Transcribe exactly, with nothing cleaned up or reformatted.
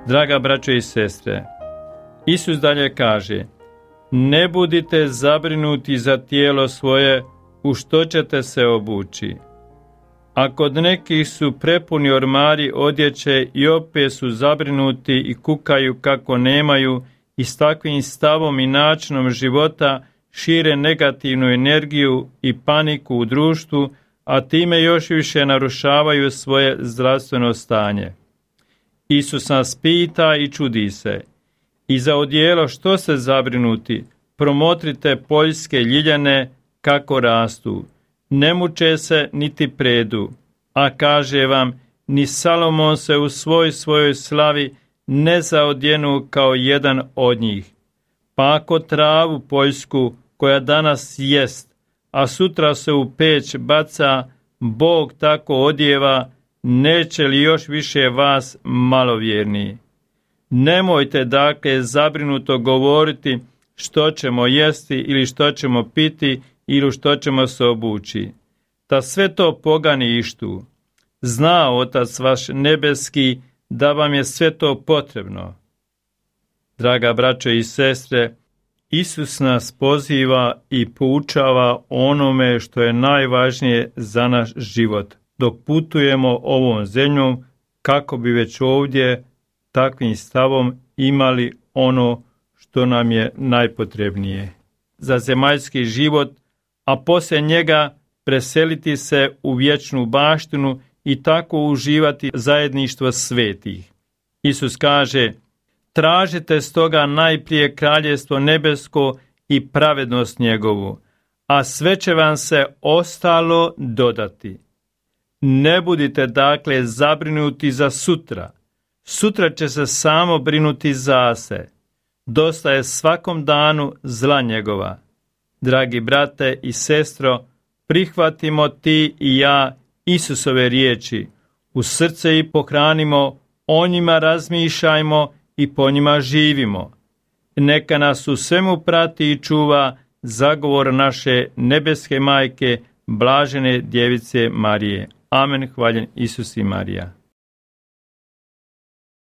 Draga braćo i sestre, Isus dalje kaže: ne budite zabrinuti za tijelo svoje, u što ćete se obući. A kod nekih su prepuni ormari odjeće i opet su zabrinuti i kukaju kako nemaju, i s takvim stavom i načinom života šire negativnu energiju i paniku u društvu, a time još više narušavaju svoje zdravstveno stanje. Isus nas pita i čudi se: i za odijelo što se zabrinuti? Promotrite poljske ljiljane kako rastu, ne muče se niti predu, a kaže vam, ni Salomon se u svoj svojoj slavi ne zaodjenu kao jedan od njih. Pa ako travu poljsku, koja danas jest, a sutra se u peć baca, Bog tako odjeva, neće li još više vas malovjerni? Nemojte dakle zabrinuto govoriti što ćemo jesti ili što ćemo piti ili što ćemo se obući. Ta sve to pogani ištu. Zna Otac vaš nebeski da vam je sve to potrebno. Draga braćo i sestre, Isus nas poziva i poučava onome što je najvažnije za naš život, dok putujemo ovom zemljom, kako bi već ovdje takvim stavom imali ono što nam je najpotrebnije za zemaljski život, a poslije njega preseliti se u vječnu baštinu i tako uživati zajedništvo svetih. Isus kaže: tražite stoga najprije kraljevstvo nebesko i pravednost njegovu, a sve će vam se ostalo dodati. Ne budite dakle zabrinuti za sutra. Sutra će se samo brinuti za se. Dosta je svakom danu zla njegova. Dragi brate i sestro, prihvatimo ti i ja Isusove riječi u srce i pohranimo, o njima razmišljajmo i po njima živimo. Neka nas u svemu prati i čuva zagovor naše nebeske majke, blažene djevice Marije. Amen. Hvaljen Isus i Marija.